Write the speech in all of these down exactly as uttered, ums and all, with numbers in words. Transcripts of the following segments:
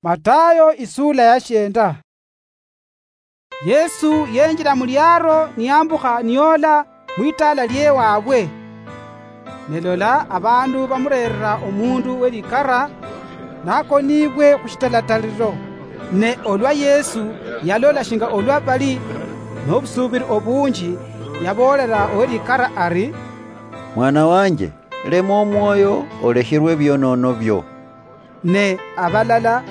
Matayo isula ya shienda. Yesu yenjira mu liaro niyambukha niyola mwitaala lyewaabwe. Ne lola, abandu bamureerera omundu welikara, nakoniibwe khu shitalataliro. Ne olwa Yesu yalola shinga olwa bali nobusuubiri obunji, yaboolera owelikara ari, "Mwana wanje, lema omwoyo, olekherwe ebionoono bio." Ne abalala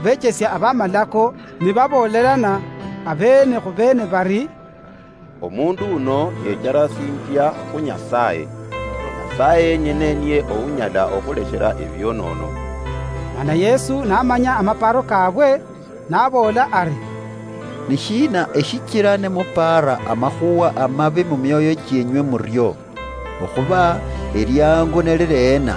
bechesia abamalako nibaboolerana abeene khu beene bari, "Omundu uno yecharasinjia khu Nyasaye. Nyasaye yenyene niye ounyala okhuleshera ebionoono." Mana Yesu namanya amaparo kabwe, naboola ari, "Ni shiina eshichira nimupaara amakhuwa amabi mu mioyo chienywe murio? Okhuba eliangu nilili ena,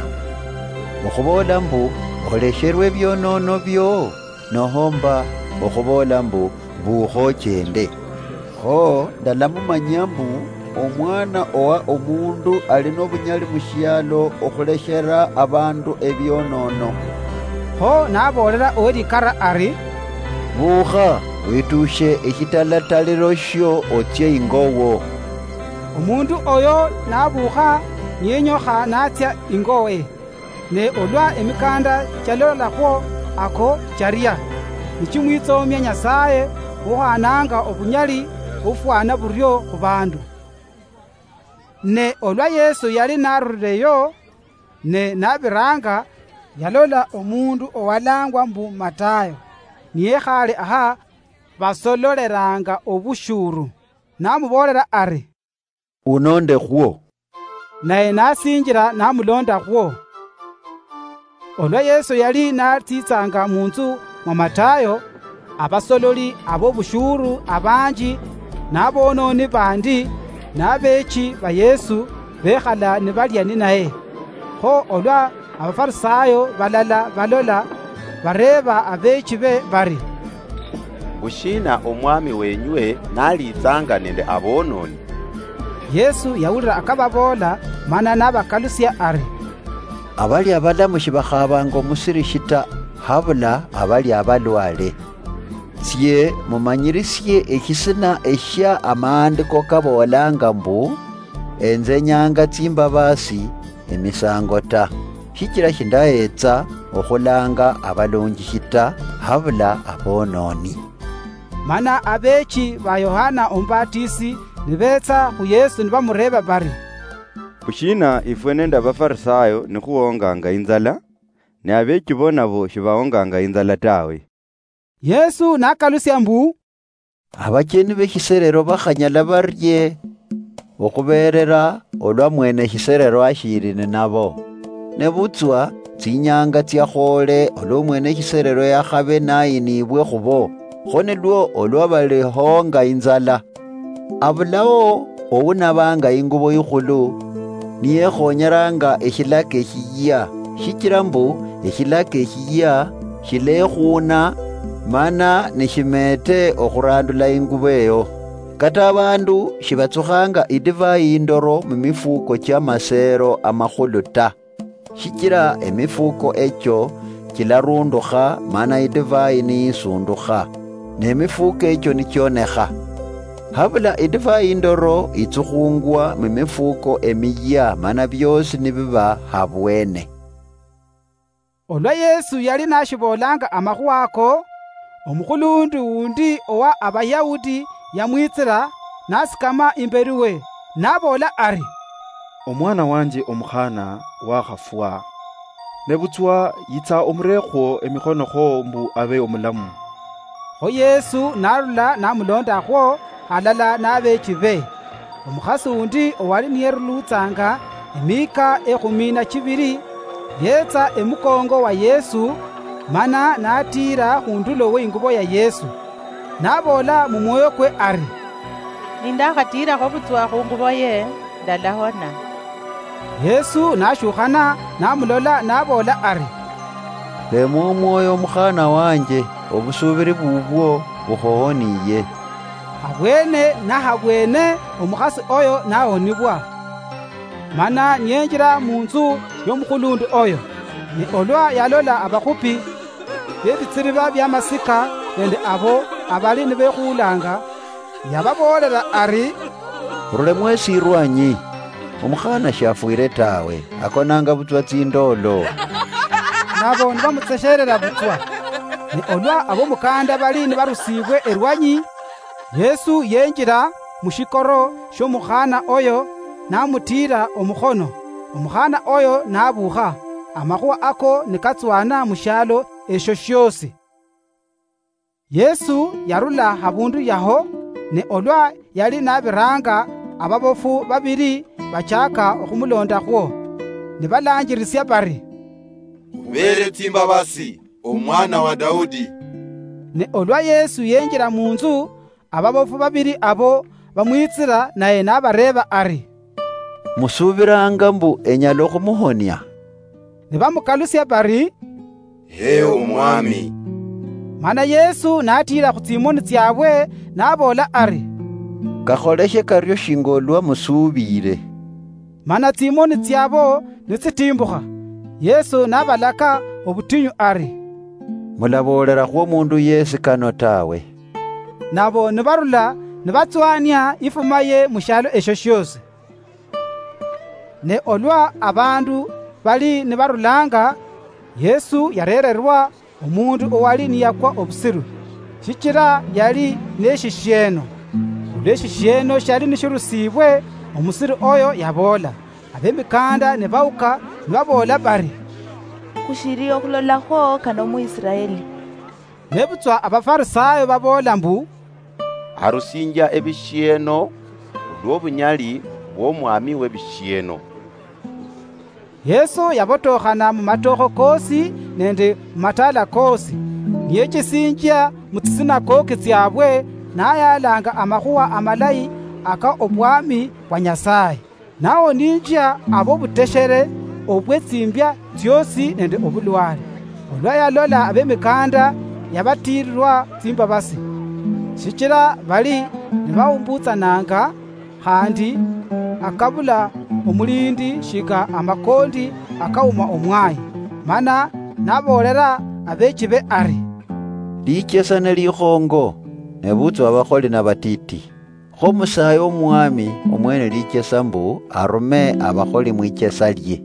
okhuboola mbu, 'Olesherwe ebionoono bio,' nohomba okhuboola mbu, 'Buukha ochende'? Kho ndalamumanyia mbu Omwana owa Omundu ali nobunyali mushialo okhuleshera abandu ebionoono." Kho naboolera owelikara ari, "Buukha, wituushe eshitalataliro shio otsie ingo wo." Omundu oyo nabuukha niyenyokha natsia ingowe. Ne olwa emikanda chialolakhwo ako charia, nichimwitsoomia Nyasaye, uhananga obunyali bufwana burio khu bandu. Ne olwa Yesu yali narurireyo, ne nabiranga, yalola omundu owalangwa mbu Matayo, niyekhale aha basololeranga obushuru, namuboolera ari, "Unondekhwo." Naye nasinjira namulondakhwo. Olwa Yesu yali natsitsanga munzu mwa Matayo, abasololi abobushuru abanji, nabononi bandi, nabechi ba Yesu bekhala nibalia ninaye. Kho olwa Abafarisayo balala balola, bareeba abeechi be bari, "Bushiina omwami wenywe naliitsanga nende aboononi?" Yesu yawulira akababoola, mana nabakalusia ari, "Abali abalamu shibakhaabanga omusirishi ta, habula abali abalwale. Sie mumanyirisie eshisina eshia amaandiko kaboolanga mbu, 'Enzenyanga tsimbabaasi emisango ta, shichira shindahetsa okhulanga abalunjishi ta, habula abononi.'" Mana abeechi ba Yohana Omubatisi nibetsa khu Yesu nibamureeba bari, "Khushiina ifwe nende Abafarisayo nikhuhonganga inzala, ne abeechi bo nabo shibahonganga inzala tawe?" Yesu nakalusia mbu, "Abacheni beshiserero bakhanyala barie okhuberera olwa mwene shiserero ashiri ninabo? Nebutswa tsinyanga tsiakhoole olwa mwene shiserero yakhabe nayinibwe khubo, kho nilwo olwa balihonga inzala. Abulao ounabanga ingubo ikhulu, niyekhonyeranga eshilaka eshiyia, shichira mbu eshilaka eshiyia shilekhuuna, mana nishimeete okhurandula ingubo eyo. Kata abandu shibatsukhanga idivai indoro mumifuko chiamaseero amakhulu ta, shichira emifuko echo chilarundukha, mana idivai niyisundukha, nemifuko echo nichionekha. Habula idivai indoro itsukhungwa mumifuko emiyia, mana biosi nibiba habwene." Olwa Yesu yali nashiboolanga amakhuwa ako, omukhulundu wundi owa Abayahudi yamwitsira, nasikama imberi we, naboola ari, "Omwana wanje omukhana wakhafwa, nebutswa yitsa omurekhwo emikhonokho mbu abe omulamu." Kho Yesu narula namulondakhwo halala nabeechi be. Omukhasi undi owali niyerulutsanga emihika ekhumi na chibiri, yetsa emukongo wa Yesu, mana natiira khundulo we ingubo ya Yesu, naboola mumwoyo kwe ari, "Nindakhatiirakho butswa khungubo ye, ndalahona." Yesu nashukhana, namulola, naboola ari, "Lema omwoyo, mukhana wanje, obusuubiri bubwo bukhuhoniye." Habwene nahabwene omukhasi oyo nahonibwa, mana niyenjira munzu yomukhulundu oyo. Ne olwa yalola abakhupi, bebitsiriba biamasika nende abo abali nibekhuulanga, yababoolera ari, "Rule mwesi irwanyi, omukhana shafwire tawe, akonanga butswa tsindoolo." Nabo nibamutsesherera butswa. Ne olwa abomukanda bali nibarusiibwe erwanyi, Yesu yenjira mushikoro shiomukhana oyo, namutiira omukhono, omukhana oyo nabuukha. Amakhuwa ako nikatswana mushialo esho shiosi. Yesu yarula habundu yaho, ne olwa yali nabiranga, ababofu babiri bachaka okhumulondakhwo, nibalanjirisia bari, "Khubeere tsimbabasi, omwana wa Daudi." Ne olwa Yesu yenjira munzu, ababofu babiri abo bamwitsira, naye nabareeba ari, "Musuubiranga mbu enyala okhumuhonia?" Nibamukalusia bari, "He Omwami." Mana Yesu natiira khutsimoni tsiabwe, naboola ari, "Kakholeshe kario shinga olwa musuubire." Mana tsimoni tsiabo nitsitimbukha, Yesu nabalaka obutinyu ari, "Mulaboolerakhwo omundu yesi kano tawe." Nabo nibarula nibatswania ifuma ye mushialo esho shiosi. Ne olwa abandu bali nibarulanga, Yesu yarererwa omundu owali niyakwa obusiru, shichira yali neshishieno. Olwa eshishieno shiali nishirusiibwe, omusiru oyo yaboola. Abemikanda nibauka, nibaboola bari, "Khushiri okhulolakhwo kano mu Israeli." Nebutswa Abafarisayo baboola mbu, "Arusinjia ebishieno khulwobunyali bwomwami webishieno." Yesu yabotokhana mumatokho kosi nende mumatala kosi, niyechesinjia mutsisinakoki tsiabwe, nayalanga amakhuwa amalayi aka obwami bwa Nyasaye. Nawoninjia abobuteshere, obwetsimbia tsiosi nende obulwale. Olwa yalola abemikanda, yabatirirwa tsimbabasi, shichira bali nibaumbutsananga, khandi akabula omulindi shinga amakondi akauma omwayi. Mana naboolera abechibe ari, "Lichesa nelikhongo, nebutswa abakholi nabatiti. Kho musaye omwami omwene lichesa mbu arume abakholi mwichesa lie."